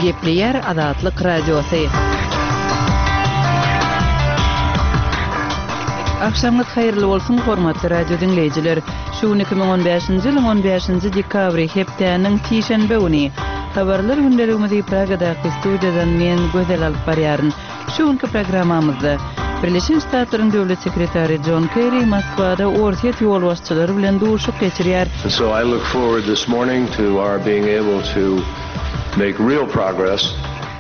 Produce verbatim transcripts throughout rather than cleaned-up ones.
Gepleýär Azatlyk Radiosy. Agşamyňyz haýyrly bolsun, hormatly radio diňleýjiler! Şu gün iki müň on bäşinji ýylyň on bäşinji dekabry, hepdäniň sişenbe güni. Habarlar gündeligimizi Pragadaky studiýadan men, Gözel alyp barýaryn. Şu günki programmamyzda Birleşen Ştatlaryň Döwlet sekretary Jon Kerri Moskwada Orsýet ýolbaşçylary bilen duşuşyk geçirýär. And so I look forward this morning to our being able to make real progress.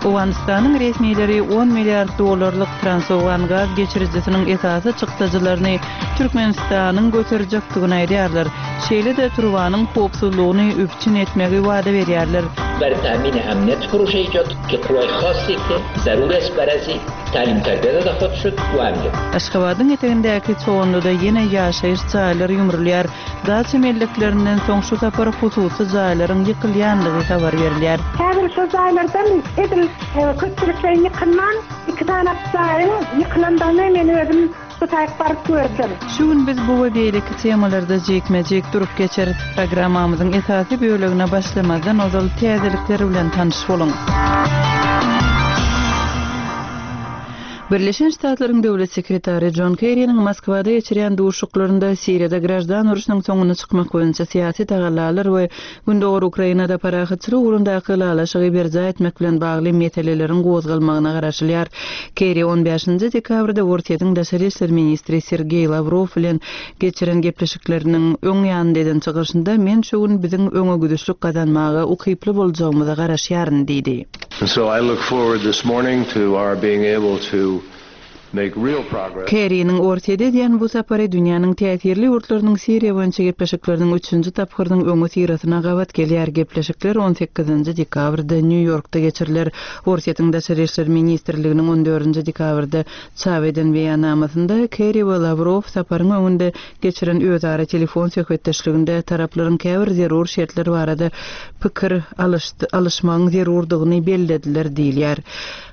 Owganystanyň resmileri on milliard dollarlyk Transowgan gaz geçirijisiniň esasy çykdajylaryny Türkmenistanyň göterjekdigini aýdýarlar. Şeýle-de turbanyň howpsuzlygyny üpjün etmegi wada berýärler. Bar ta'min amniyat پروژه ایجاد که قوای خاصی که ضرور است برای تعلیم تربیت داده خود شد و امنیت. Aşgabadyň etegindäki Çoganlyda ýene ýaşaýyş jaýlary ýumrulýar. Daça melleklerinden soň şu sapar hususy jaýlaryň ýykylýandygy habar berilýär. Häzir şu jaýlardan edil, e, köpçülikleýin ýykylman, iki sany jaýyň ýykylandygyny men özüm bu taýyp baryp gördüm. Şu gün biz bu we beýleki temalarda jikme-jik durup geçeris. Programmamyzyň esasy bölegine başlamazdan ozal täzelikler bilen tanyş boluň. Birleşen Ştatlaryň Döwlet sekretary Jon Kerriniň Moskwada geçirýän duşuşyklarynda Siriýada graždan urşunyň soňuna çykmak boýunça syýasy tagallalar we Gündogar Ukrainada parahatçylyk ugrundaky ylalaşygy berjaý etmek bilen bagly meseleleriň gozgalmagyna garaşylýar. Kerri on bäşinji dekabrda Orsýetiň daşary işler ministri Sergeý Lawrow bilen geçiren gepleşikleriniň öň ýanynda eden çykyşynda men şu gün biziň öňe gidişlik gazanmaga ukyply boljagymyza garaşýaryn diýdi. And so I look forward this morning to our being able to make real progress. Kerriniň Orsýete edýän bu sapary dünýäniň täsirli ýurtlarynyň Siriýa boýunça gepleşikleriniň üçünji tapgyrynyň öňe syrasyna gabat gelýär. Gepleşikler on sekizinji dekabrda Nýu-Ýorkda geçiriler. Orsýetiň Daşary işler ministrliginiň on dördünji dekabrda çap eden beýannamasynda Kerri we Lawrow saparyň öňünde geçiren özara telefon söhbetdeşliginde taraplaryň käbir zerur şertler barada pikir alyş-, alyşmagyň zerurdygyny bellediler diýilýär.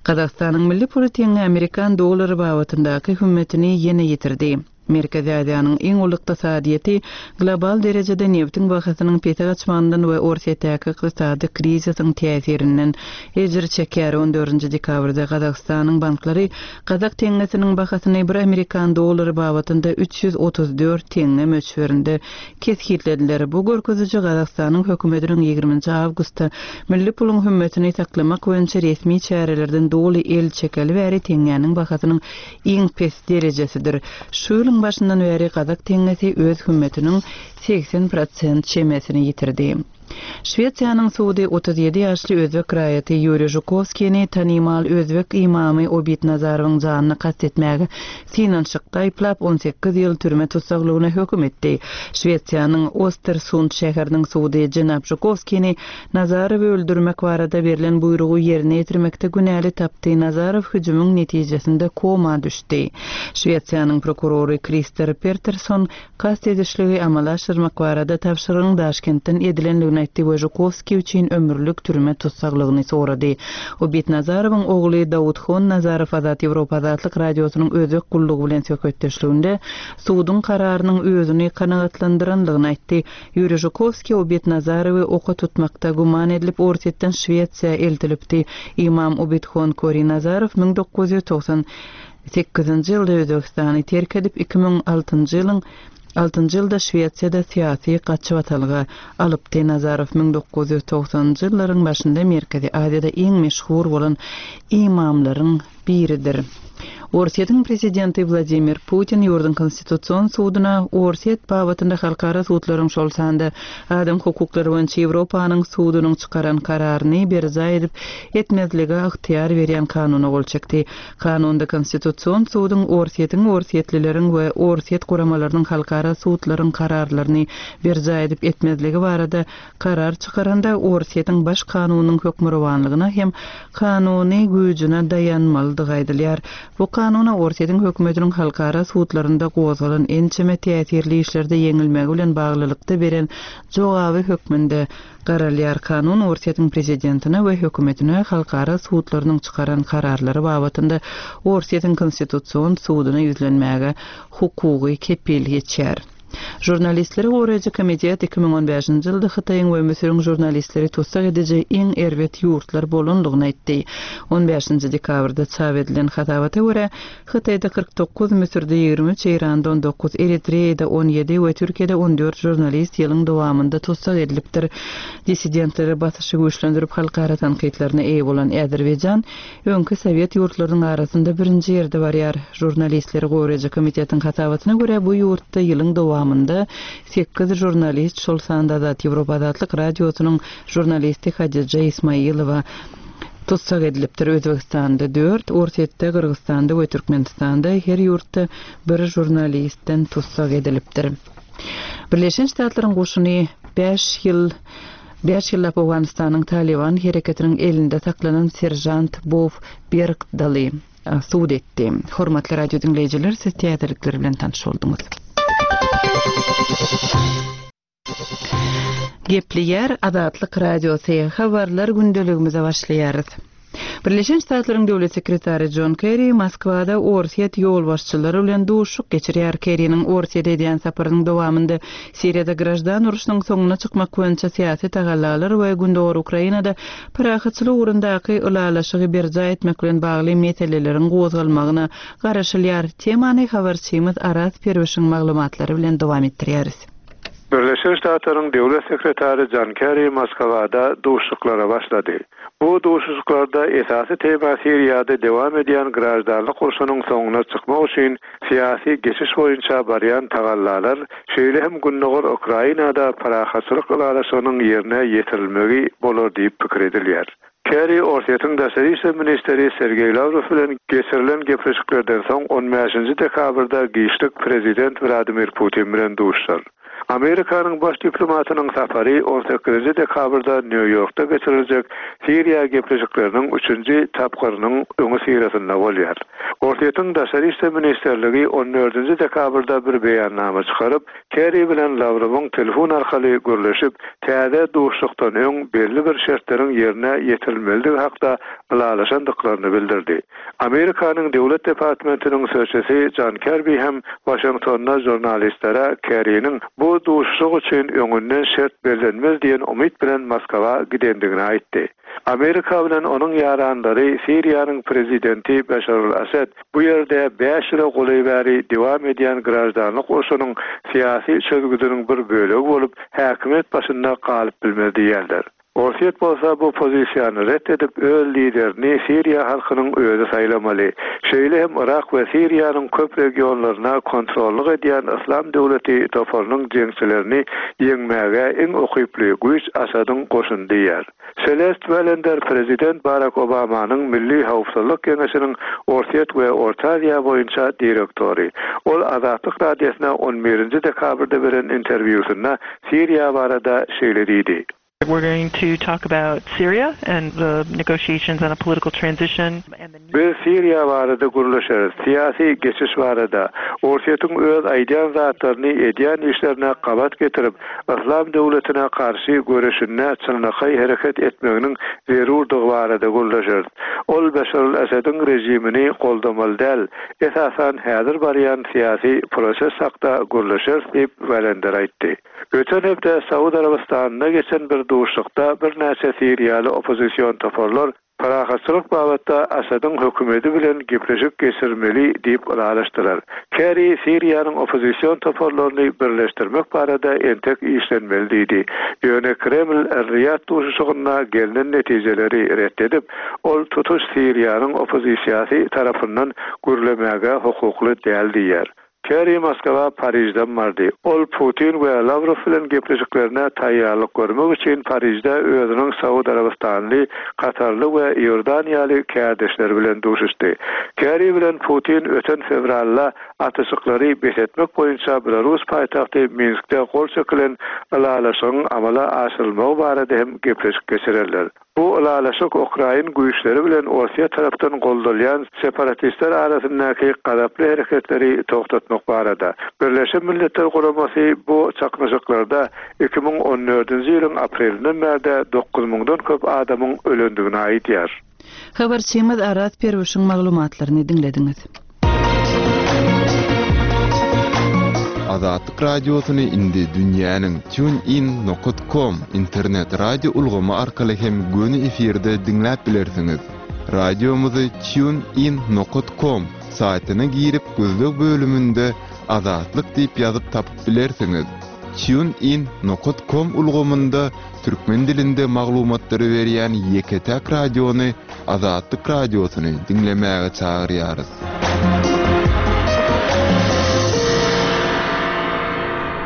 Gazagystanyň milli puly teňňe Amerikan dollary babatyndaky hümmetini ýene ýitirdi. Merkezi Aziýanyň iň uly ykdysadyýeti global derejede nebtiň bahasynyň pese gaçmagyndan we Orsýetdäki ykdysady krizisiň täsirinden ejir çekýär. On dördünji dekabrda Gazagystanyň banklary Gazak teňňesiniň bahasyny bir Amerikan dollary babatynda üç ýüz otuz dört teňňe möçberinde kesgitlediler. Bu görkeziji Gazagystanyň hökümetiniň ýigriminji awgustda milli puluň hümmetini saklamak boýunça resmi çärelerden doly el çekeli bäri teňňäniň bahasynyň iň pes derejesidir. Şu ýylyň başyndan bäri Gazak teňňesi öz hümmetiniň seksen prosent çemesini ýitirdi. Şwesiýanyň sudy otuz ýedi ýaşly özbek raýaty Ýuriý Žukowskini tanymal özbek imamy Obid Nazarowyň janyny kast etmäge synanyşykda aýyplap on sekiz ýyl türme tussaglygyna höküm etdi. Şwesiýanyň Ostersund şäheriniň sudy Jenap Žukowskini Nazarowy öldürmek barada berlen buýrugy ýerine ýetirmekde günäli tapdy. Nazarow hüjümiň netijesinde koma düşdi. Şwesiýanyň prokurory Krister Peterson kast edişligi amala aşyrmak barada tabşyrygyň Daşkentden edilenligini aýtdy we Žukowski üçin ömürlik türme tussaglygyny sorady. Obid Nazarowyň ogly Dawudxon Nazarow Azat Ýewropa Azatlyk Radiosynyň özbek gullugy bilen söhbetdeşliginde suduň kararynyň özüni kanagatlandyranlygyny aýtdy. Ýuriý Žukowski Obid Nazarowy oka tutmakda güman edilip Orsýetden Şwesiýa eltilipdi. Imam Obidxon Kori Nazarow müň dokuz ýüz togsan sekizinji ýylda Özbegistany terk edip iki müň altynjy ýylyň altynjy ýylda Şwesiýada syýasy gaçybatalga alypdy. Nazarow müň dokuz ýüz togsanjy ýyllaryň başynda Merkezi Aziýada iň meşhur bolan imamlaryň biridir. Orsýetiň prezidenti Wladimir Putin ýurduň konstitusion suduna Orsýet babatynda halkara sudlaryň şol sanda adam hukuklary boýunça Ýewropanyň sudunyň çykaran kararyny berjaý edip etmezlige ygtyýar berýän kanuna gol çekdi. Kanunda konstitusion suduň Orsýetiň, orsýetlileriň we Orsýet guramalarynyň halkara sudlaryň kararlaryny berjaý edip etmezligi barada karar çykaranda Orsýetiň baş kanunyň hökmürowanlygyna hem kanuny güýjüne daýanmalydygy aýdylýar. Bu kanuna Orsýetiň hökümetiniň halkara sudlarynda gozgalan ençeme täsirli işlerde ýeňilmegi bilen baglylykda beren jogaby hökmünde garalýar. Kanun Orsýetiň prezidentine we hökümetine halkara sudlarynyň çykaran kararlary babatynda Orsýetiň konstitusion suduna ýüzlenmäge hukugy kepil geçýär. Žurnalistleri goraýjy komitet iki müň on bäşinji ýylda Hytaýyň we Müsüriň žurnalistleri tussag ediji iň erbet ýurtlar bolandygyny aýtdy. On bäşinji dekabrda çap edilen hasabata görä, Hytaýda kyrk dokuz, Müsürde ýigrimi üç, Eýranda on dokuz, Eritreýada on ýedi we Türkiýede on dört žurnalist ýylyň dowamynda tussag edilipdir. Dissidentlere basyşy güýçlendirip halkara tankytlaryna eýe bolan Azerbaýjan öňki Sowet ýurtlarynyň arasynda birinji ýerde barýar. Žurnalistleri goraýjy komitetiň hasabatyna görä, bu ýurtda ýylyň dowamynda sekiz žurnalist, şol sanda Azat Ýewropa Azatlyk radiosynyň žurnalisti Hadija Ismailowa tussag edilipdir. Özbekistanda dört, Orsýetde, Gyrgyzstanda we Türkmenistanda her ýurtda bir žurnalistden tussag edilipdir. Birleşen Ştatlaryň goşuny bäş ýyl bäş ýyllap Owganystanyň Taliban hereketiniň elinde saklanan serjant Bow Bergdaly sud etdi. Hormatly radio dinleýjiler, siz täzelikler bilen tanyş bolduňyz. Gepleýär Azatlyk Radiosy, habarlar gündeligimize başlaýarys. Birleşen Ştatlaryň döwlet sekretary John Kerry Moskwada Orsýet ýolbaşçylary bilen duşuşyk geçirýär. Kerry'niň Orsýet edýän saparynyň dowamynda Siriýada graždan urşunyň soňuna çykmak boýunça syýasy tagallalar we Gündogar Ukrainada parahatçylyk ugrundaky ylalaşygy berjaý etmek bilen bagly meseleleriň gozgalmagyna garaşylýar. Temany habarçymyz Araz Perwişiň maglumatlary bilen dowam etdirýäris. Birleşen Ştatlaryň döwlet sekretary John Kerry Moskwada duşuşyklara başlady. Bu duşuşyklarda esasy tema Siriýada dowam edýän graždanlyk urşunyň soňuna çykmak üçin syýasy geçiş boýunça barýan tagallalar, şeýle hem Gündogar Ukrainada parahatçylyk ylalaşygynyň ýerine ýetirilmegi bolar diýip pikir edilýär. Kerry Orsýetiň daşary işler ministri Sergey Lavrov bilen geçirilen gepleşiklerden soň on bäşinji dekabrda giçlik prezident Vladimir Putin bilen duşuşar. Amerikanyň baş diplomatynyň safary on sekizinji dekabrda Nýu-Ýorkda geçiriljek Siriýa gepleşikleriniň üçünji tapgyrynyň öňi syrasynda bolýar. Orsýetiň daşary işler ministerligi on dördünji dekabrda bir beýannama çykaryp, Kerry bilen Lavrovyň telefon arkaly gürleşip, täze duşuşykdan öň belli bir şertleriň ýerine ýetirilmelidigi hakda ylalaşandyklaryny bildirdi. Amerikanyň Döwlet Departamentiniň sözçüsi John Kirby hem Washingtonda žurnalistlere Kerry'niň bu duşuşyk üçin öňünden şert bellenmez diýen umyt bilen Moskwa gidendigini aýtdy. Amerika bilen onuň ýaranlary Siriýanyň prezidenti Beşar al-Assad bu ýerde bäş ýyla golaý bäri dowam edýän graždanlyk urşunyň syýasy çözgüdiniň bir bölegi bolup, häkimiýet başynda galyp bilmez diýerler. Orsýet bolsa bu pozisiýany ret edip, öz liderini Siriýa halkynyň özi saýlamaly. Şeýle hem Irak we Siriýanyň köp regionlaryna kontrollyk edýän Islam döwleti toparynyň jeňçilerini ýeňmäge iň ukyply güýç Asadyň goşuny diýär. Celeste Wellender prezident Barack Obamanyň Milli Howpsuzlyk Geňeşiniň Orsýet we Orta Aziýa boýunça direktory. Ol Azatlyk Radiosyna on birinji dekabrda beren interwýusynda Siriýa barada şeýle diýdi. We're going to talk about Syria and the negotiations on a political transition. Biz Siriýa barada gürleşeris, syýasy geçiş barada. Orsýetiň öz aýdýan zatlaryny edýän işlerine gabat getirip, Islam döwletine garşy göreşinde çynlakaý hereket etmeginiň zerurdygy barada gürleşeris. Ol Beşar al-Asadyň rejimini goldamaly däl, esasan häzir barýan syýasy proses hakda gürleşeris diýip Wellender aýtdy. Öten hepde Saud Arabistanynda geçen bir duşuşykda birnäçe Siriýaly oppozision toparlar parahatçylyk babatda Asadyň hökümeti bilen gepleşik geçirmeli diýip ylalaşdylar. Kerry Siriýanyň oppozision toparlaryny birleşdirmek barada entek işlenmeli diýdi. Ýöne Kreml Er-Riyad duşuşygynda gelnen netijeleri ret edip, ol tutuş Siriýanyň oppozisiýasy tarapyndan gürlemäge hukukly däl diýär. Kerry Moskwa Parijden bardy. Ol Putin we Lavrov bilen gepleşiklerine taýýarlyk görmek üçin Parijde özüniň Saud Arabistanly, Katarly we Iordaniýaly kärdeşleri bilen duşuşdy. Kerry bilen Putin öten fewralda atyşyklary bes etmek boýunça Belarus paýtagty Minskde gol çekilen ylalaşygyň amala aşyrylmagy barada hem gepleşik geçirerler. Bu ylalaşyk Ukrain güýçleri bilen Orsýet tarapdan goldalýan separatistler arasyndaky gazaply hereketleri toxtatmak barada. Birleşen Milletler Guramasy bu çaknyşyklarda iki müň on dördünji ýylyň aprelinden bäri dokuz müňden köp adamyň ölendigini aýdýar. Habarçymyz Araz Perwişiň maglumatlaryny diňlediňiz. Azatlyk Radiosyny indi dünýäniň TuneIn nokat com internet radio ulgamy arkaly hem göni efirde diňläp bilersiňiz. Radiomyzy TuneIn nokat com saýtyna girip gözleg bölüminde Azatlyk diýip ýazyp tapyp bilersiňiz. TuneIn nokat com ulgamynda türkmen dilinde maglumatlary berýän ýeke-täk radiony Azatlyk Radiosyny diňlemäge çagyrýarys.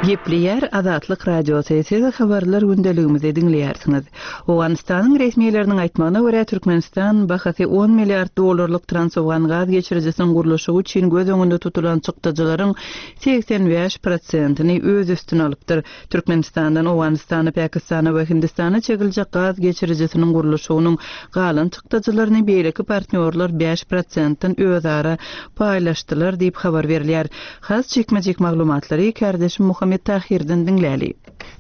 Gepleýär Azatlyk Radiosy, siz habarlar gündeligimizi diňleýärsiňiz. Owganystanyň resmileriniň aýtmagyna görä Türkmenistan bahasy on milliard dollarlyk Transowgan gaz geçirijisiniň gurluşygy üçin göz öňünde tutulan çykdajylaryň seksen bäş prosentini öz üstüne alypdyr. Türkmenistandan Owganystana, Pakistana we Hindistana çekiljek gaz geçirijisiniň gurluşygynyň galan çykdajylaryny beýleki partnýorlar bäş prosentden özara paýlaşdylar diýip habar berilýär. Has çekmejek maglumatlary kardeşim Muhammed Tahirden diňläli.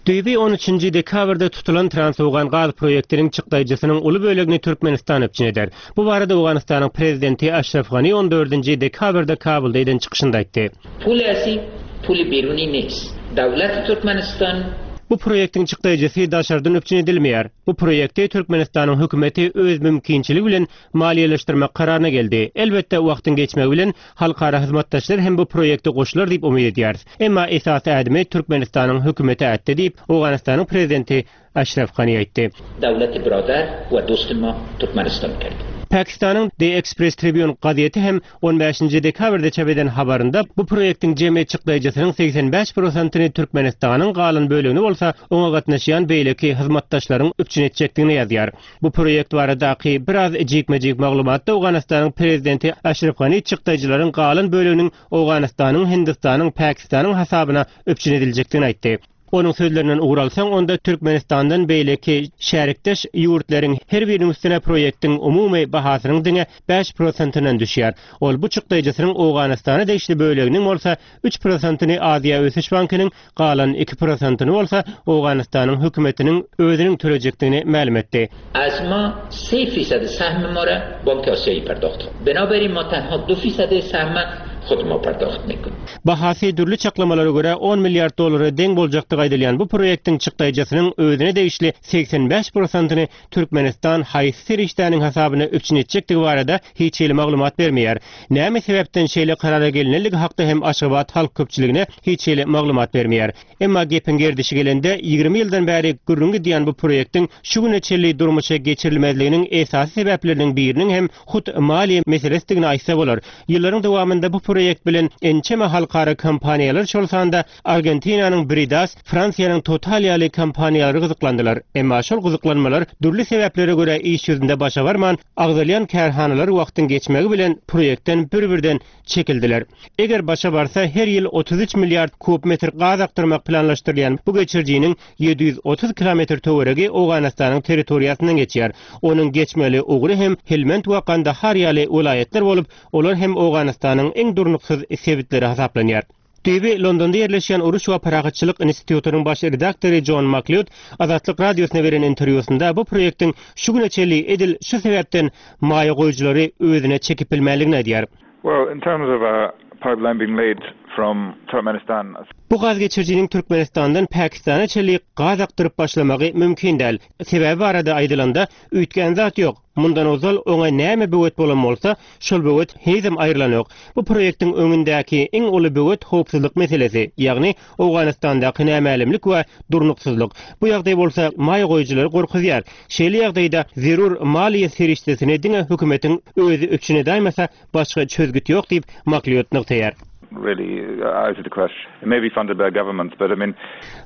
Düýbi on üçünji dekabrda tutulan Transowgan gaz proýektiniň çykdajysynyň uly bölegini Türkmenistan üpjün eder. Bu barada Owganystanyň prezidenti Aşraf Gani on dördünji dekabrda Kabulda eden çykyşynda aýtdy. Pul asi, pul biruni nest. Döwlet Türkmenistan Bu proýektiň çykdajysy daşardan üpjün edilmeýär. Bu proýekti Türkmenistanyň hökümeti öz mümkinçiligi bilen maliýeleşdirmek kararyna geldi. Elbetde wagtyň geçmegi bilen halkara hyzmatdaşlar hem bu proýekte goşular diýip umyt edýäris. Emma esasy ädimi Türkmenistanyň hökümeti ätdi diýip Owganystanyň prezidenti Aşraf Gani aýtdy. Döwlet birodar we dostuma Türkmenistan kerdi. Pakistanyň The Express Tribune gazeti hem on bäşinji dekabrda çap eden habarynda bu proýektiň jemi çykdajysynyň seksen bäş prosentini Türkmenistanyň galan bölegini bolsa oňa gatnaşýan beýleki hyzmatdaşlaryň üpjün etjekdigini ýazýar. Bu proýekt baradaky biraz jikme-jik maglumatda Owganystanyň prezidenti Aşraf Gani çykdajylaryň galan böleginiň Owganystanyň, Hindistanyň, Pakistanyň hasabyna üpjün ediljekdigini aýtdy. Onuň sözlerinden ugur alsaň, onda Türkmenistandan beýleki şärikdeş ýurtlaryň her biriniň üstüne proýektiň umumy bahasynyň diňe bäş prosentinden düşýär. Ol bu çykdajysynyň Owganystana degişli böleginiň bolsa üç prosentini Aziýa Ösüş Bankynyň, galan iki prosentini bolsa Owganystanyň hökümetiniň özüniň tölejekdigini mälim etdi. Az ma se fisad sahm ma ra Bank Asiýa pardoxt. Binaberin ma tenha du fisad sahm xud ma pardoxt mekun. Bahasy dürli çaklamalara görä on milliard dollara deň boljakdygy aýdylýan bu proýektiň çykdajysynyň özüne degişli seksen bäş prosentini Türkmenistan haýsy serişdäniň hasabyna üpjün etjekdigi barada hiç hili maglumat bermeýär. Näme sebäpden şeýle karara gelinenligi hakda hem Aşgabat halk köpçüligine hiç hili maglumat bermeýär. Emma gepiň gerdişi gelende ýigrimi ýyldan bäri gürrüň gidýän bu proýektiň şu güne çenli durmuşa geçirilmezliginiň esasy sebäpleriniň biriniň hem hut maliýe meselesidigini aýtsa bolar. Ýyllaryň dowamynda bu proýekt bilen ençeme halkara kompaniýalar şol sanda Argentinanyň Bridas, Fransiýanyň Total ýaly kompaniýalary gyzyklandylar. Emma şol gyzyklanmalar dürli sebäplere görä iş ýüzünde başa barman, agzalýan kärhanalar wagtyň geçmegi bilen proýektden bir-birden çekildiler. Eger başa barsa her ýyl otuz üç milliard kub metr gaz akdyrmak planlaşdyrylýan bu geçirijiniň ýedi ýüz otuz kilometr töweregi Owganystanyň territoriýasyndan geçýär. Onuň geçmeli ugry hem Helmand we Kandahar ýaly welaýatlar bolup, olar hem Owganystanyň iň durnuksyz sebitleri hasaplanýar. Düýbi Londonda ýerleşýän Uruş we Parahatçylyk institutynyň baş redaktory John McLeod Azatlyk Radiosyna beren interwýusynda bu proýektiň şu güne çenli edil şu sebäpden maýa goýujylary özüne çekip bilmänligini aýdýar. Well, in terms of a pipeline being laid from Turkmenistan. Bu gaz geçirijiniň Türkmenistandan Pakistana çenli gaz akdyryp başlamagy mümkin däl. Sebäbi barada aýdylanda üýtgän zat ýok. Mundan ozal oňa näme böwet bolan bolsa, şol böwet henizem aýrylanok. Bu proýektiň öňündäki iň uly böwet howpsuzlyk meselesi, ýagny Owganystandaky nämälimlik we durnuksyzlyk. Bu ýagdaý bolsa maýa goýujylary gorkuzýar. Şeýle ýagdaýda zerur maliýe serişdesini diňe hökümetiň özi üpjün edäýmese, başga çözgüt ýok diýip McLeod nygtaýar. Really out of the question. It may be funded by governments, but I mean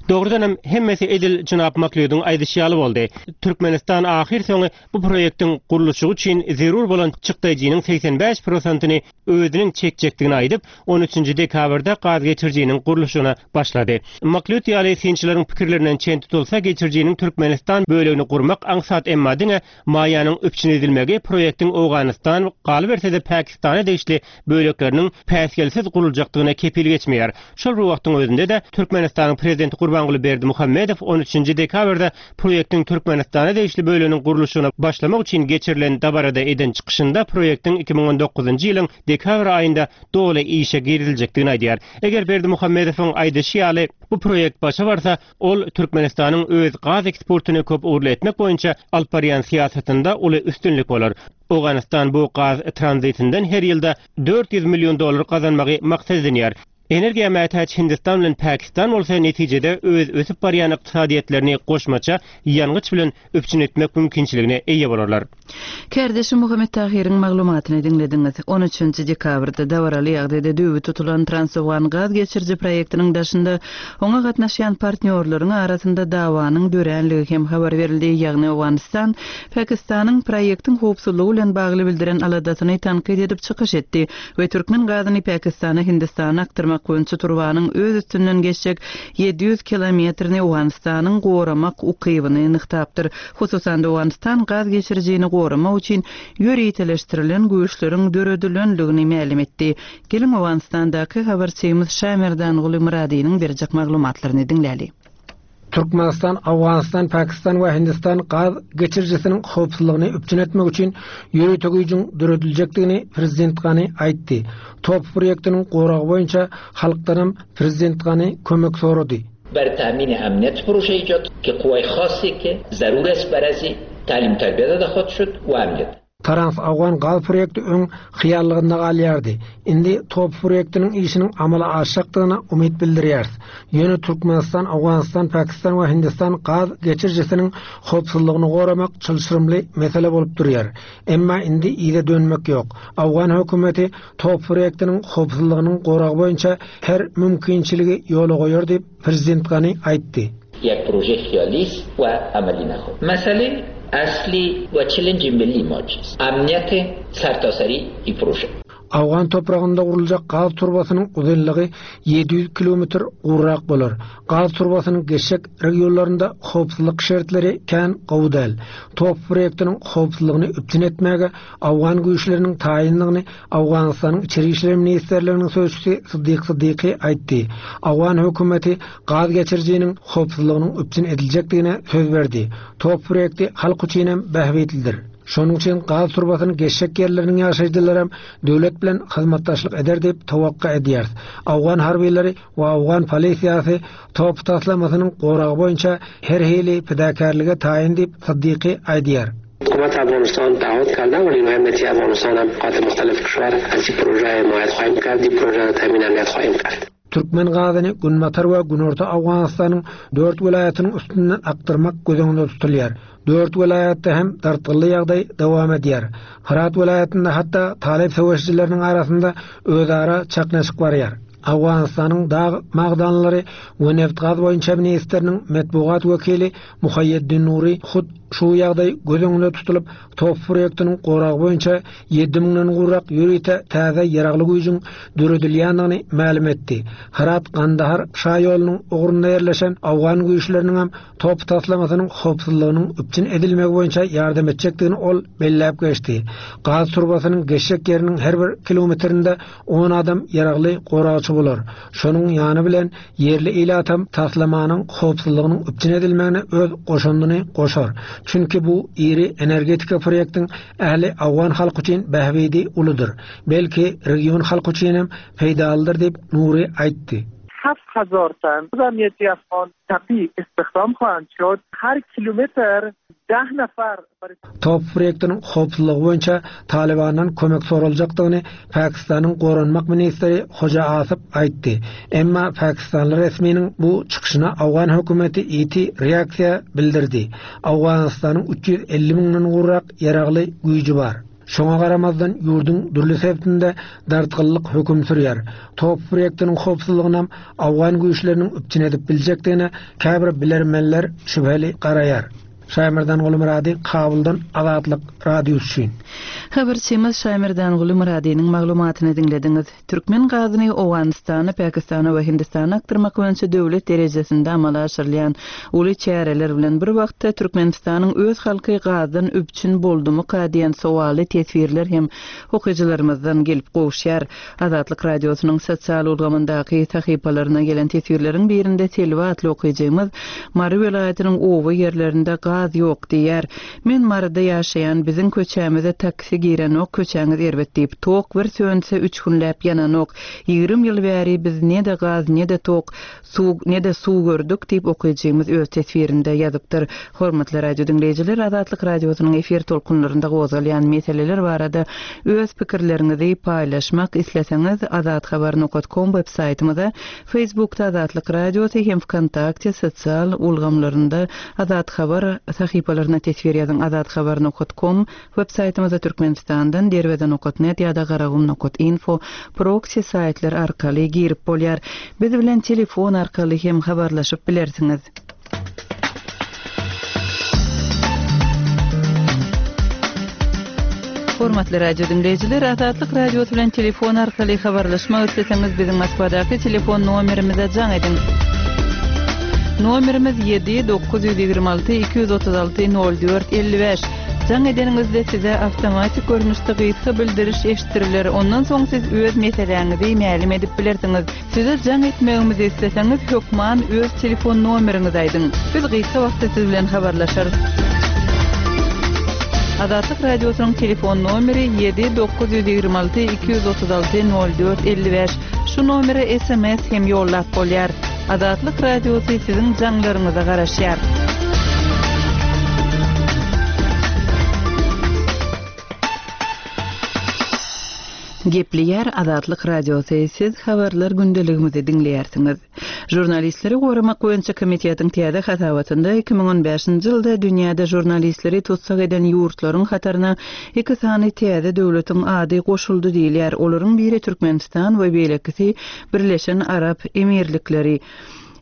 Dogrudan hem hemmesi edil Jenap McLeod'un aýdyşy ýaly boldy. Türkmenistan ahyr soňy bu proýektiň gurluşygy üçin zerur bolan çykdajynyň seksen bäş prosentini özüniň çekjekdigini aýdyp, on üçünji dekabrda gaz geçirijiniň gurluşygyna başlady. McLeod ýaly synçylaryň pikirlerinden çen tutulsa, geçirijiniň Türkmenistan bölegini gurmak aňsat, emma diňe maýanyň üpjün edilmegi proýektiň Owganystan, galyberse-de Pakistana degişli bölekleriniň päsgelsiz guruljagyny boljakdygyna kepil geçmeýär. Şol bir wagtyň özünde-de Türkmenistanyň prezidenti Gurbanguly Berdimuhamedow on üçünji dekabrda proýektiň Türkmenistana degişli bölüminiň gurluşygyna başlamak üçin geçirilen dabarada eden çykyşynda proýektiň iki müň on dokuzynjy ýylyň dekabr aýynda doly işe giriziljekdigini aýdýar. Eger Berdimuhamedowyň aýdyşy ýaly bu proýekt başa barsa, ol Türkmenistanyň öz gaz eksportyny köp ugurly etmek boýunça alyp barýan syýasatynda uly üstünlik bolar. Owganystan bu gaz tranzitinden her ýylda dört ýüz million dollar gazanmagy maksat edinýär. Energiýa mätäç Hindistan bilen Pakistan bolsa netijede öz ösüp barýan ykdysadyýetlerini goşmaça ýangyç bilen üpjün etmek mümkinçiligine eýe bolarlar. Kardeşim Muhammet Tahiriň maglumatyny diňlediňiz. on üçünji dekabrda dabaraly ýagdaýda düwü tutulan Transowgan gaz geçiriji proýektiniň daşynda oňa gatnaşýan partnýorlaryň arasynda dawanyň döränligi hem habar berildi. Ýagny Owganystan Pakistanyň proýektiň howpsuzlygy bilen bagly bildiren aladasyny tankyt edip çykyş etdi we türkmen gazyny Pakistana, Hindistana akdyrmak boýunça turbanyň öz üstünden geçjek ýedi ýüz kilometrini Owganystanyň goramak ukybyny nygtapdyr. Hususan Owganystan gaz geçirijini goramak üçin ýöriteleşdirilen güýçleriň döredilenligini mälim etdi. Geliň Owganystandaky habarçymyz Şamerdanguly Myradynyň berjek maglumatlaryny diňläli. Türkmenistan, Owganystan, Pakistan we Hindistan gaz geçirijisiniň howpsuzlygyny üpjün etmek üçin ýörite güýjüň dörediljekdigini Prezident Gani aýtdy. Top proýektiniň goragy boýunça halkdanam Prezident Gani kömek sorady. بر تامین امنیت پروژه ایجاد که قوای خاصی که ضرور است برای تعلیم تربیت داده خود شد و امنیت. Trans Awgan gaz proýekti öň hyýallygynda galýardy. Indi top proýektiniň işiniň amala aşjakdygyna umyt bildirýäris. Ýöne Türkmenistan, Owganystan, Pakistan we Hindistan gaz geçirijisiniň howpsuzlygyny goramak çylşyrymly mesele bolup durýar. Emma indi ýere dönmek ýok. Awgan hökümeti top proýektiniň howpsuzlygynyň goragy boýunça her mümkinçiligi ýola goýar diýip Prezident Gani aýtdy. یک پروژه خیالی است و عملی نخواهد. مسئله اصلی و چلنج ملی ما چیست؟ امنیت سرتاسری این پروژه. Awgan topragynda guruljak gaz turbasynyň uzynlygy ýedi ýüz kilometr gurrak bolar. Gaz turbasynyň geçjek regionlarynda howpsuzlyk şertleri kän gowy däl. Top proýektiniň howpsuzlygyny üpjün etmäge Awgan güýçleriniň taýynlygyny Awganystanyň Içeri İşler Ministrliginiň sözçüsi Siddiq Siddiqi aýtdy. Awgan hökümeti gaz geçirijiniň howpsuzlygynyň üpjün ediljekdigine söz berdi. Top proýekti halk üçin hem bähbitlidir. Şonuň üçin gaz turbasynyň geçjek ýerleriniň ýaşaýjylary hem döwlet bilen hyzmatdaşlyk eder diýip towakga edýär. Awgan harbiylary we Awgan polisiýasy top taslamasynyň goragy boýunça her hili pidakärlige taýyn diýip Siddiqi aýdýar. حکومت افغانستان تعهد کرده و نیروهای امنیتی افغانستان هم قاطع مختلف کشور از این پروژه حمایت خواهیم کرد، این پروژه را تامین امنیت خواهیم کرد. Türkmen gazyny Günbatar we Günorta Awganystanyň dört welaýatynyň üstünden akdyrmak göz öňünde tutulýar. Dört welaýatda hem dartgynly ýagdaý dowam edýär. Herat welaýatynda hatda Talip söweşçileriniň arasynda özara çaknyşyk barýar. Awganystanyň dag magdanlary we neft gaz boýunça ministriniň metbugat wekili Muhaýyeddin Nuri hut şu ýagdaý göz öňünde tutulyp top proýektiniň goragy boýunça ýedi müňden gurrak ýörite täze ýaragly güýjüň döredilýändigini mälim etdi. Herat Gandahar şaýolunyň ugrunda ýerleşen Awgan güýçleriniň hem top taslamasynyň howpsuzlygynyň üpjün edilmegi boýunça ýardam etjekdigini ol belläp geçdi. Gaz turbasynyň geçjek ýeriniň her bir kilometrinde on adam ýaragly goragçy bolar. Şonuň ýany bilen ýerli ilatam taslamanyň howpsuzlygynyň üpjün edilmegine öz goşundyny goşar. Çünki bu iri energetika proýektiň ähli Awgan halky üçin bähbidi uludyr. Belki region halky üçin hem peýdalydyr diýip Nuri aýtdy. هفت هزار تن امنیتی افغان تپی استخدام خواهند شد. هر کیلومتر ده نفر برای Top proýektiniň howpsuzlygy boýunça Talibandan kömek soruljakdygyny Pakistanyň Goranmak ministri Hoja Asif aýtdy. Emma Pakistanly resminiň bu çykyşyna Awgan hökümeti ýiti reaksiýa bildirdi. Awganystanyň üç ýüz elli müňden gurrak ýaragly güýji bar. Şoňa garamazdan ýurduň dürli sebitinde dartgynlyk höküm sürýär. Top proýektiniň howpsuzlygyny hem Awgan güýçleriniň üpjün edip biljekdigine käbir bilermenler şübheli garaýar. Şaýmerdanguly Myrady Kabuldan Azatlyk Radiosy üçin. Habarçymyz Şaýmerdanguly Myradynyň maglumatyny diňlediňiz. Türkmen gazyny Owganystana, Pakistana we Hindistana akdyrmak boýunça döwlet derejesinde amala aşyrylýan uly çäreler bilen bir wagtda Türkmenistanyň öz halky gazdan üpjün boldumyka diýen sowaly teswirler hem okyjylarymyzdan gelip gowuşýar. Azatlyk Radiosynyň sosial ulgamyndaky sahypalaryna gelen teswirleriň birinde Selwa atly okyjymyz Mary welaýatynyň oba ýerlerinde gaz ýok diýýär. Men Maryda ýaşaýan biziň köçämize taksi girenok, köçäňiz erbet diýip, tok bir sönse üç günläp ýananok. Ýigrimi ýyl bäri biz ne-de gaz, ne-de tok, suw, ne-de suw gördük diýip okyjymyz öz teswirinde ýazypdyr. Hormatly radio diňleýjiler, Azatlyk Radiosynyň efir tolkunlarynda gozgalýan meseleler barada öz pikirleriňizi paýlaşmak isleseňiz azathabar nokta com web saýtymyza, Facebookda Azatlyk Radiosy hem VKontakte sosial ulgamlarynda Azat Habar sahypalaryna teswir ýazyň. Azathabar nokta com web saýtymyza Türkmenistandan derweze nokta net ýa-da garagum nokta info proxy saýtlar arkaly girip bolýar. Biz bilen telefon arkaly hem habarlaşyp bilersiňiz. Hormatly radio diňleýjiler, Azatlyk Radiosy bilen telefon arkaly habarlaşmak isleseňiz biziň Moskwadaky telefon nomerimize jaň ediň. Nomerimiz ýedi dokuz ýüz ýigrimi alty iki ýüz otuz alty nol dört elli bäş. Jaň edeniňizde size awtomatik görnüşde gysga bildiriş eşitdiriler. Ondan soň siz öz meseläňizi mälim edip bilersiňiz. Size jaň etmegimizi isleseňiz hökman öz telefon nomeriňizi aýdyň. Biz gysga wagtda siz bilen habarlaşarys. Azatlyk Radiosynyň telefon nomeri ýedi dokuz ýüz ýigrimi alty iki ýüz otuz alty nol dört elli bäş. Şu nomere S M S hem ýollap bolýar. Azatlyk Radiosy siziň jaňlaryňyza garaşýar. Gepleýär Azatlyk Radiosy, siz habarlar gündeligimizi diňleýärsiňiz. Žurnalistleri goramak boýunça komitetiň täze hasabatynda iki müň on bäşinji ýylda dünýäde žurnalistleri tutsag eden ýurtlaryň hataryna iki sany täze döwletiň ady goşuldy diýilýär. Olaryň biri Türkmenistan we beýlekisi Birleşen Arap Emirlikleri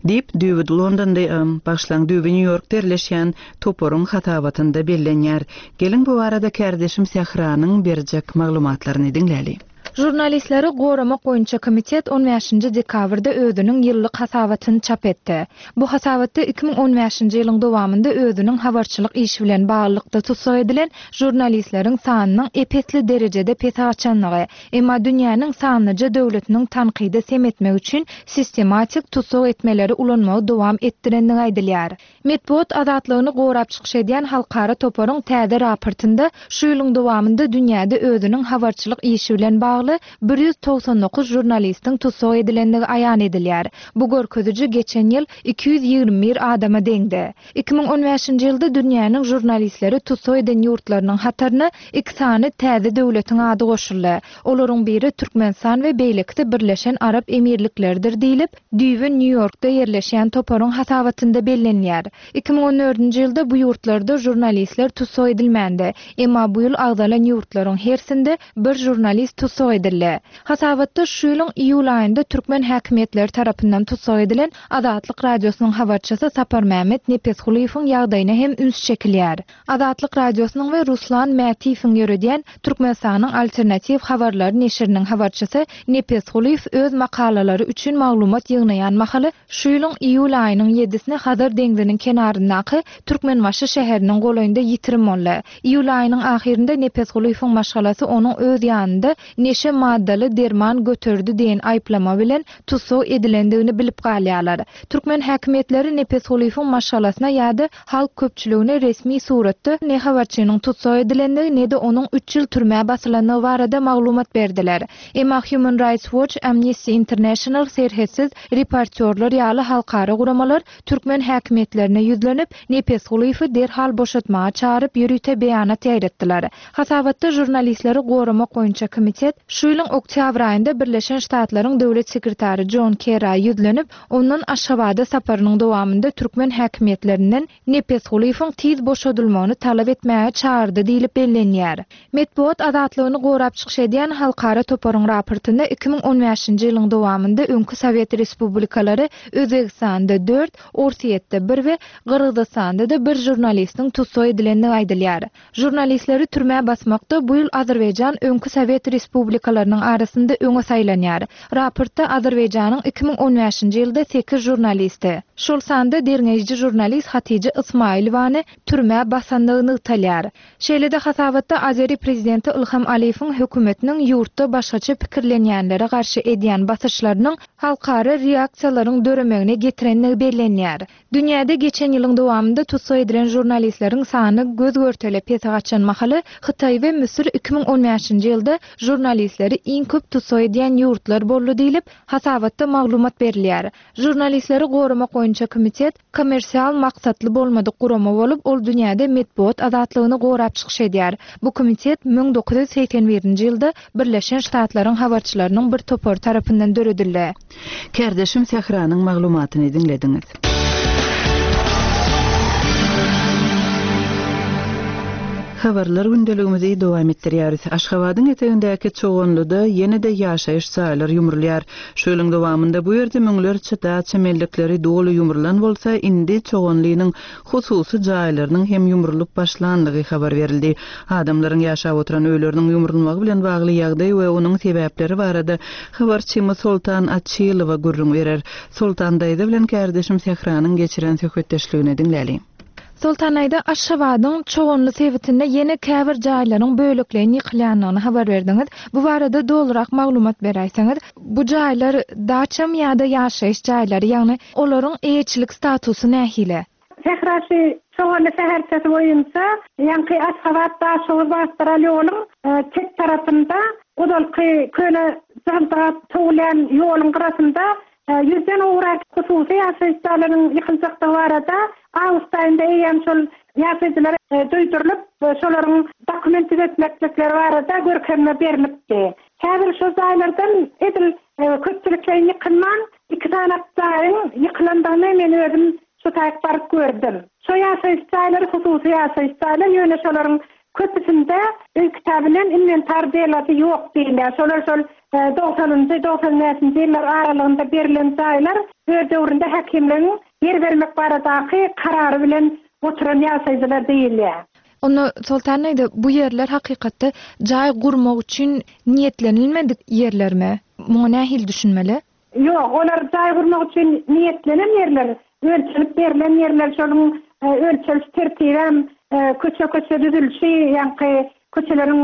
diýip düýbi Londonda, ym, başlan düýbi New Yorkda ýerleşýän toparyň hasabatynda bellenýär. Geliň bu barada kärdeşim Sähranyň berjek maglumatlaryny diňläli. Žurnalistleri goramak boýunça komitet on bäşinji dekabrda özüniň ýyllyk hasabatyny çap etdi. Bu hasabatda iki müň on bäşinji ýylyň dowamynda özüniň habarçylyk işi bilen baglylykda tutsag edilen žurnalistleriň sanynyň epesli derejede pese gaçanlygy, emma dünýäniň sanlyja döwletiniň tankydy sem etmek üçin sistematik tutsag etmeleri ulanmagy dowam etdirenligi aýdylýar. Metbugat azatlygyny gorap çykyş edýän halkara toparyň täze raportynda şu ýylyň dowamynda dünýäde özüniň habarçylyk işi bilen bagly bir ýüz togsan dokuz žurnalistiň tutsag edilendigi aýan edilýär. Bu görkeziji geçen ýyl iki ýüz ýigrimi bir adama deňdi. Iki müň on bäşinji ýylda dünýäniň žurnalistleri tutsag eden ýurtlarynyň hataryna iki sany täze döwletiň ady goşuldy. Olaryň biri Türkmenistan we beýlekisi Birleşen Arap Emirlikleridir diýlip, düýbi New Yorkda ýerleşýän toparyň hasabatynda bellenýär. Iki müň on dördünji ýylda bu ýurtlarda žurnalistler tutsag edilmändi. Emma bu ýyl agzalan ýurtlaryň hersinde bir žurnalist tutsag edildi. Hasabatda şu ýylyň iýul aýynda türkmen häkimiýetleri tarapyndan tutsag edilen Azatlyk Radiosynyň habarçysy Saparmämmet Nepesgulyýewiň ýagdaýyna hem üns çekilýär. Azatlyk Radiosynyň we Ruslan Mätiýewiň ýöredýän Türkmenistanyň alternatiw habarlary neşiriniň habarçysy Nepesgulyýew öz makalalary üçin maglumat ýygnaýan mahaly şu ýylyň iýul aýynyň ýedisine Hazar deňziniň kenaryndaky Türkmenbaşy şäheriniň golaýynda ýitirim boldy. Iýul aýynyň ahyrynda Nepesgulyýewiň maşgalasy onuň öz ýanynda neşe maddaly derman göterdi diýen aýyplama bilen tutsag edilendigini bilip galýarlar. Türkmen häkimiýetleri Nepesgulyýewiň maşgalasyna ýa-da halk köpçüligine resmi suratda ne habarçynyň tutsag edilendigi ne-de onuň üç ýyl türmä basylandygy barada maglumat berdiler. Emma Human Rights Watch, Amnesty International, serhetsiz reportyorlar ýaly halkara guramalar türkmen häkimiýetlerine ýüzlenip, Nepesgulyýewi derhal boşatmaga çagyryp ýörite beýanat ýaýratdylar. Hasabatda žurnalistleri goramak boýunça komitet Şu ýylyň oktýabr aýynda Birleşen Ştatlaryň Döwlet sekretary Jon Kerra ýüzlenip, ondan Aşgabada saparynyň dowamynda türkmen häkimiýetlerinden Nepesgulyýewiň tiz boşadylmagyny talap etmäge çagyrdy diýlip bellenýär. Metbugat azatlygyny gorap çykyş edýän halkara toparyň raportynda iki müň on bäşinji ýylyň dowamynda öňki Sowet respublikalary Özbegistanda dört, Orsýetde bir we Gyrgyzystanda-da bir žurnalistiň tussag edilendigi aýdylýar. Žurnalistleri türmä basmakda bu ýyl Azerbaýjan öňki Sowet respublikalarynyň arasynda öňe saýlanýar. Raportda Azerbaýjanyň iki müň on bäşinji ýylda sekiz žurnalisti, şol sanda derňeýji žurnalist Hatije Ismailowany türmä basandygy nygtalýar. Şeýle-de hasabatda Azeri prezidenti Ilham Aliýewiň hökümetiniň ýurtda başgaça pikirlenýänlere garşy edýän basyşlarynyň halkara reaksiýalaryň döremegine getirenligi bellenýär. Dünýäde geçen ýylyň dowamynda tussag edilen žurnalistleriň sany göz görtele pese gaçan mahaly Hytaý we Müsür iki müň on bäşinji ýylda žurnalistleri iň köp tussag edýän ýurtlar boldy diýlip, hasabatda maglumat berilýär. Žurnalistleri goramak boýunça komitet kommersial maksatly bolmadyk gurama bolup, ol dünýäde metbugat azatlygyny gorap çykyş edýär. Bu komitet müň dokuz ýüz segsen birinji ýylda Birleşen Ştatlaryň habarçylarynyň bir topary tarapyndan döredildi. Kärdeşim Sähranyň maglumatyny diňlediňiz. Habarlar gündeligimizi dowam etdirýäris. Aşgabadyň etegindäki Çoganlyda ýene-de ýaşaýyş jaýlar ýumrulýar. Şu ýylyň dowamynda bu ýerde müňlerçe daça mellekleri doly ýumrulan bolsa, indi Çoganlynyň hususy jaýlarynyň hem ýumrulyp başlanlygy habar berildi. Adamlaryň ýaşap oturan öýleriniň ýumrulmagy bilen bagly ýagdaý we onuň sebäpleri barada habarçymyz Soltan Açylowa gürrüň berer. Soltan daýza bilen kärdeşim Sähranyň geçiren söhbetdeşligini diňläli. Soltan aýda Aşgabadyň Çoganly sebitinde ýene käbir jaýlaryň bölekleýin ýykylýandygyny habar berdiňiz. Bu barada dolurak maglumat beräýseňiz, bu jaýlar daçam ýa-da ýaşaýyş jaýlary, ýagny olaryň eýeçilik statusy nähili? Sähraşy Çoganly şäherçesi boýunça, ýaňky Aşgabat Daşoguz magistral ýoluň, e, çet tarapynda ozalky köne jygyldyga towlaýan ýoluň gyrasynda, e, ýüzden gowrak hususy ýaşaýyş jaýlarynyň ýykyljakdygy barada awgust aýynda eýýäm şol ýaşaýjylara, e, duýdurylyp, e, şolaryň dokument düzetmeklikleri barada görkezme berilipdi. Häzir şol jaýlardan edil, e, köpçülikleýin ýykylman, iki sany jaýyň ýykylandygyny men özüm şu taýyk baryp gördüm. Şo ýaşaýyş jaýlary hususy ýaşaýyş jaýlar, ýöne şolaryň köpüsinde öý kitaby bilen inwentar delası ýok diýilýär. Şolar şol, e, dogsanynjy, dogsan bäşinji ýyllar aralygynda berilen jaýlar öz döwründe häkimligiň ýer bermek baradaky karary bilen oturan ýaşaýjylar diýilýär. Onda Soltan aýda, bu ýerler hakykatda jaý gurmak üçin niýetlenilmedik ýerlermi? Muňa nähili düşünmeli? Ýok, olar jaý gurmak üçin niýetlenen ýerler, ölçelip berilen ýerler, şonuň, e, ölçeliş tertibem, e, köçe-köçe düzülişi, ýaňky köçeleriň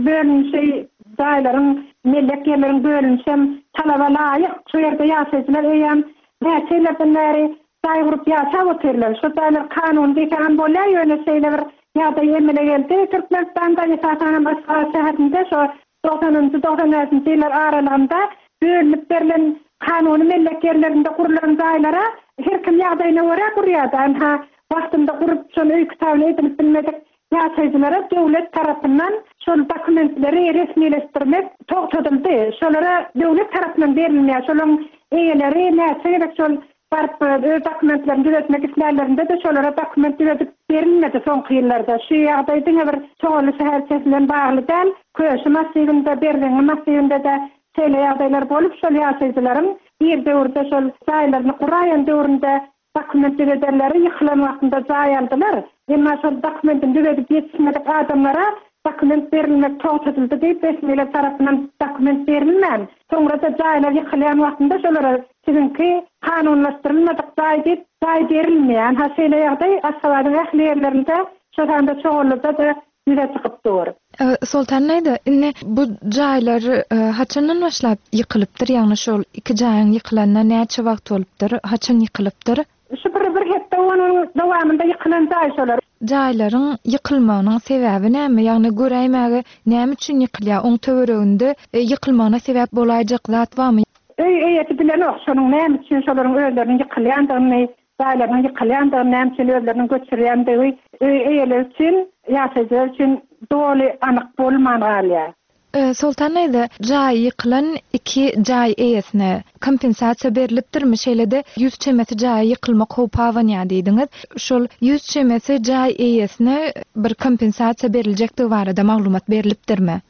bölünişi, jaýlaryň, mellek ýerleriň bölünişi hem talaba laýyk. Şu ýerde ýaşaýjylar eýýäm näçe ýyllardan bäri jaý gurup ýaşap otyrlar. Şu jaýlar kanun diýseň bolýar, ýöne şeýle bir ýagdaý emele geldi. Türkmenistanda esasan hem Aşgabat şäherinde şu dogsanynjy, dogsan bäşinji ýyllar aralygynda bölünip berilen kanuny mellek ýerlerinde gurulan jaýlara her kim ýagdaýyna görä gurýardy. Anha wagtynda gurup şol öý kitabyny edinip bilmedik ýaşaýjylara döwlet tarapyndan şol dokumentleri resmileşdirmek togtadyldy. Şolara döwlet tarapyndan berilmeýär. Şolaryň eýeleri näçe gerek şol baryp öz dokumentlerini düzetmek islärlerinde de şolara dokument düzetip berilmedi soňky ýyllarda. Şu ýagdaý diňe bir Çoganly şäherçesi bilen bagly däl, Köşi massiwinde, Berzeňňi massiwinde de şeýle ýagdaýlar bolup, şol ýaşaýjylaryň bir döwürde şol jaýlaryny guraýan döwründe dokument düzederleri ýykylan wagtynda jaý aldylar. Emma şol dokumentini düzedip ýetişmedik adamlara dokument berilmek togtadyldy diýip resmiler tarapyndan dokument berilmän, soňra da jaýlar ýykylýan wagtynda şolara siziňki kanunlaşdyrylmadyk jaý diýip jaý berilmeýän. Ha şeýle ýagdaý Aşgabadyň ähli ýerlerinde, şol sanda Çoganlyda da ýüze çykyp dur. E, Soltan aýda, indi bu jaýlar, e, haçandan başlap ýykylypdyr? Ýagny şol iki jaýyň ýykylanyna näçe wagt bolupdyr? Haçan ýykylypdyr? Şu bir, bir hepde onuň dowamynda ýykylan jaý şolar. Jaýlaryň ýykylmagynyň sebäbi näme? Ýagny göräýmäge näme üçin ýykylýar? Oň töwereginde, e, ýykylmagyna sebäp bolaýjak zat barmy? Öý eýesi bilenok, şonuň näme üçin şolaryň özleriniň ýykylýandygyny, jaýlarynyň ýykylýandygyny, näme üçin özleriniň göçürýändigi öý eýeleri üçin, ýaşaýjylar üçin doly anyk bolman galýar. Soltan daýza, jaýy ýykylan iki jaý eýesine kompensasiýa berlipdirmi? Şeýle-de ýüz çemesi jaýa ýykylmak howpy abanýar diýdiňiz. Şol ýüz çemesi jaý eýesine bir kompensasiýa beriljekdigi barada maglumat berlipdirmi?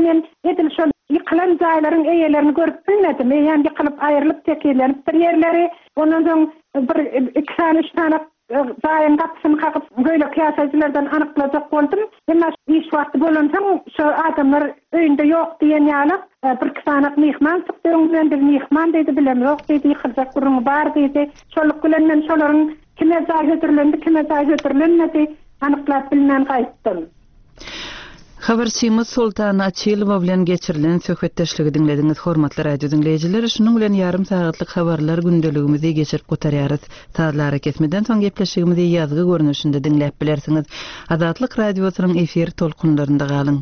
Men edil şol ýykylan jaýlaryň eýelerini görüp bilmedim. Eýýäm ýykylyp aýrylyp tekizlenipdir ýerleri. Ondan soň bir iki sany, üç sany jaýyň gapysyny kakyp, beýleki ýaşaýjylardan anyklajak boldum. Emma iş wagty bolansoň, şo adamlar öýünde ýok diýen ýaly, bir-iki sanak myhman çykdy öňümden, biz myhman diýdi, bilemzok diýdi, ýykyljak gürrüňi bar diýdi. Şolluk bilen men şolaryň kime jaý hödürlendi, kime jaý hödürlenmedi, anyklap bilmän gaýtdym. Habarçymyz Soltan Açylowa bilen geçirilen söhbetdeşligi diňlediňiz, hormatly radio diňleýjiler. Şunuň bilen ýarym sagatlyk habarlar gündeligimizi geçirip gutarýarys. Sazly arakesmeden soň gepleşigimizi ýazgy görnüşinde diňläp bilersiňiz. Azatlyk Radiosynyň efir tolkunlarynda galyň.